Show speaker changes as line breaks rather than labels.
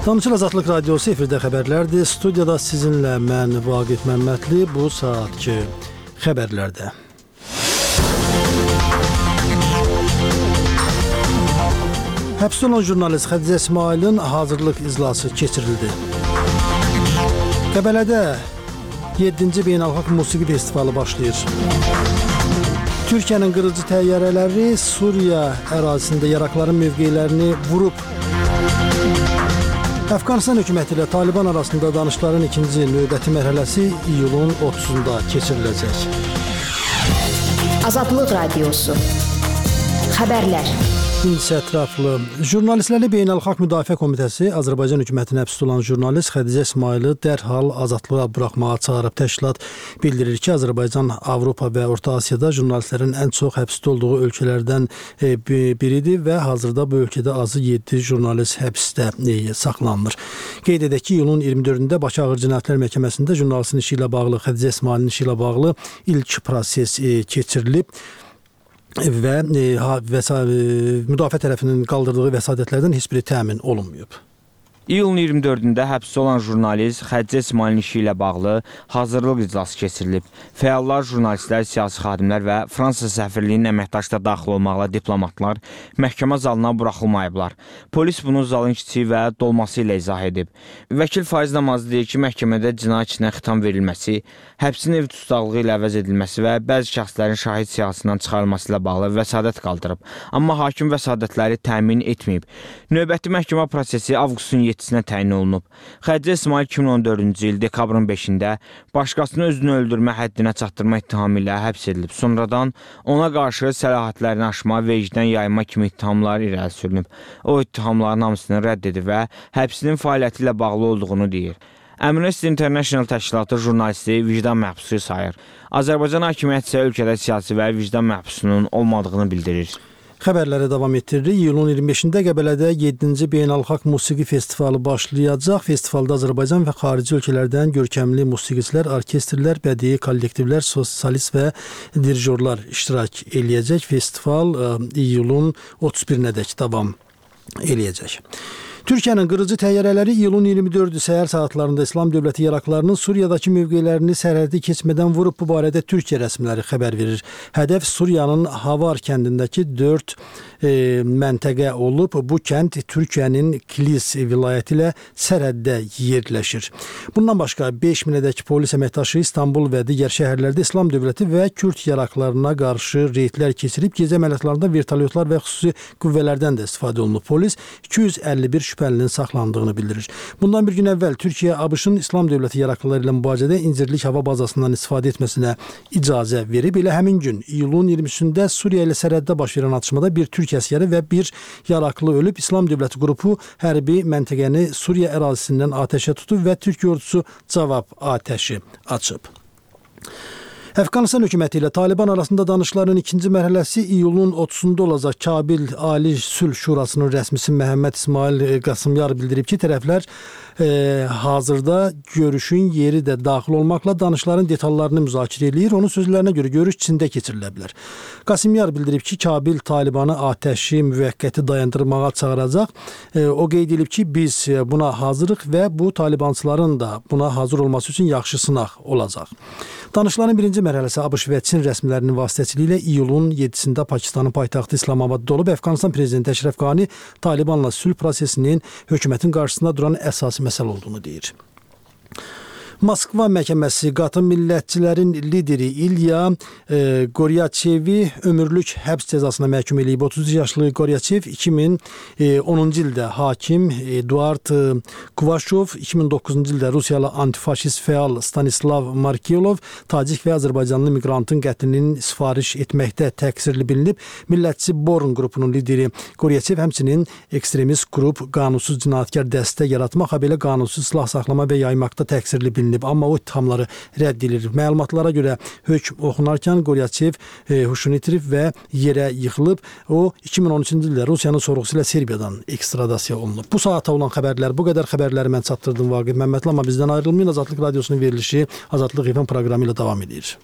Tanışır Azadlıq Radiosu efirdə xəbərlərdir. Studiyada sizinlə mən Vaqif Məmmədli bu saatki xəbərlərdə. Həbs olunan jurnalist Xədicə İsmailin hazırlıq iclası keçirildi. Qəbələdə 7-ci Beynəlxalq Musiqi Festivalı başlayır. Türkiyənin qırıcı təyyarələri Suriya ərazisində yaraqların mövqelərini vurub. Əfqanistan hökuməti ilə Taliban arasında danışıqların ikinci növbəti mərhələsi iyulun 30-da keçiriləcək.
Azadlıq Radiosu. Xəbərlər.
İncə ətraflı. Jurnalistləri Beynəlxalq Müdafiə Komitəsi Azərbaycan hökumətinə həbs olan jurnalist Xədicə İsmaili dərhal azadlığa buraxmağa çağırıb. Təşkilat bildirir ki, Azərbaycan, Avropa və Orta Asiyada jurnalistlərin ən çox həbsdə olduğu ölkələrdən biridir və hazırda bu ölkədə azı 7 jurnalist həbsdə saxlanılır. Qeyd edək ki, iyulun 24-də Bakı Ağır Cinayətlər Məhkəməsində jurnalistin işi ilə bağlı, Xədicə İsmailin işi ilə bağlı ilk proses keçirilib. Və müdafiə tərəfinin qaldırdığı vəsadətlərdən heç biri təmin olunmayıb.
İyulun 24-də həbs olan jurnalist Xədicə İsmailin işi ilə bağlı hazırlıq iclası keçirilib. Fəallar, jurnalistlər, siyasi xadimlər və Fransa səfirliyinin əməkdaşda daxil olmaqla diplomatlar məhkəmə zalına buraxılmayıblar. Polis bunu zalın kiçiyi və dolması ilə izah edib. Vəkil Faiz Namazlı deyir ki, məhkəmədə cinayət işinə xitam verilməsi, həbsin ev tutaqlığı ilə əvəz edilməsi və bəzi şəxslərin şahid siyahısından çıxarılması ilə bağlı vəsadət qaldırıb. Amma hakim vəsadətləri təmin etməyib. Növbəti məhkəmə prosesi avqustun 7-sinə təyin olunub. Xədicə İsmail 2014-cü il dekabrın 5-də başqasını özünü öldürmə həddinə çatdırma ittihamı ilə həbs edilib. Sonradan ona qarşı səlahiyyətlərini aşma, vecdən yayma kimi ittihamlar irəli sürünüb. O ittihamların hamısını rədd edib və həbsinin fəaliyyəti ilə bağlı olduğunu deyir. Amnesty International təşkilatı jurnalisti vicdan məhbusu sayır. Azərbaycan hakimiyyəti isə ölkədə siyasi və vicdan məhbusunun olmadığını bildirir.
Xəbərlərə davam etdiririk. İyulun 25-də Qəbələdə 7-ci Beynəlxalq Musiqi Festivalı başlayacaq. Festivalda Azərbaycan və xarici ölkələrdən görkəmli musiqiçilər, orkestrlər, bədii kollektivlər, solist və dirijorlar iştirak eləyəcək. Festival iyulun 31-nədək davam eləyəcək. Türkiyənin qırıcı təyyarələri iyulun 24-cü səhər saatlarında İslam Dövləti yaraqlarının Suriyadakı mövqelərini sərhədi keçmədən vurub. Bu barədə Türkiyə rəsmiləri xəbər verir. Hədəf Suriyanın Havar kəndindəki 4 məntəqə olub. Bu kənd Türkiyənin Kilis vilayəti ilə sərhəddə yerləşir. Bundan başqa 5000-ədək polis əməkdaşı İstanbul və digər şəhərlərdə İslam Dövləti və Kürd yaraqlarına qarşı reydlər keçirib. Gecə əməliyyatlarında vertolyotlar və xüsusi qüvvələrdən də istifadə olunub. Polis 251 şübhəlinin saxlandığını bildirir. Bundan bir gün əvvəl Türkiyə ABŞ-ın İslam Dövləti yaraqlıları ilə mübarizədə İncirlik hava bazasından istifadə etməsinə icazə verib. Elə həmin gün iyulun 20-sində Suriya ilə sərhəddə baş verən atışmada bir Türk əsgəri və bir yaraqlı ölüb. İslam Dövləti qrupu hərbi məntəqəni Suriya ərazisindən atəşə tutub və Türk ordusu cavab atəşi açıb. Əfqanistan hökuməti ilə Taliban arasında danışıqların ikinci mərhələsi iyulun 30-da olacaq. Kabil Ali Sülh Şurasının rəsmisi Məhəmməd İsmail Qasımyar bildirib ki, tərəflər hazırda görüşün yeri də daxil olmaqla danışıqların detallarını müzakirə edir. Onun sözlərinə görə görüş Çində keçirilə bilər. Qasımyar bildirib ki, Kabil Talibanı atəşi müvəqqəti dayandırmağa çağıracaq. O qeyd edib ki, biz buna hazırıq və bu Talibançıların da buna hazır olması üçün yaxşı sınaq olacaq. Danışıqların birinci mərhələsi ABŞ və Çin rəsmilərinin vasitəçiliyi ilə iyulun 7-sində Pakistanın paytaxtı İslamabadda olub. Əfqanistan prezidenti Əşrəf Qani Talibanla sülh prosesinin hökumətin qarşısında duran əsası məsələ olduğunu deyir. Moskva məhkəməsi qatı millətçilərin lideri İlya Goryaçevi ömürlük həbs cəzasına məhkum edib. 30 yaşlı Goryaçev 2010-cu ildə hakim Eduard Kuvaşov, 2009-cu ildə Rusiyalı antifaşist fəal Stanislav Markelov tacik və Azərbaycanlı miqrantın qətlinin sifariş etməkdə təqsirli bilinib. Millətçi Born qrupunun lideri Goryaçev həmçinin ekstremist qrup qanunsuz cinayətkar dəstə yaratmaq, habelə qanunsuz silah saxlama və yaymaqda təqsirli bilinib. Amma o ittihamları rədd edilir. Məlumatlara görə hökm oxunarkən Goryaçev huşunu itirib və yerə yıxılıb. O 2013-cü ildə Rusiyanın sorğusu ilə Serbiyadan ekstradasiya olunub. Bu saata olan xəbərlər, bu qədər xəbərləri mən çatdırdım Vaqif Məmmədli, amma bizdən ayrılmayın. Azadlıq Radiosunun verilişi Azadlıq FM proqramı ilə davam edir.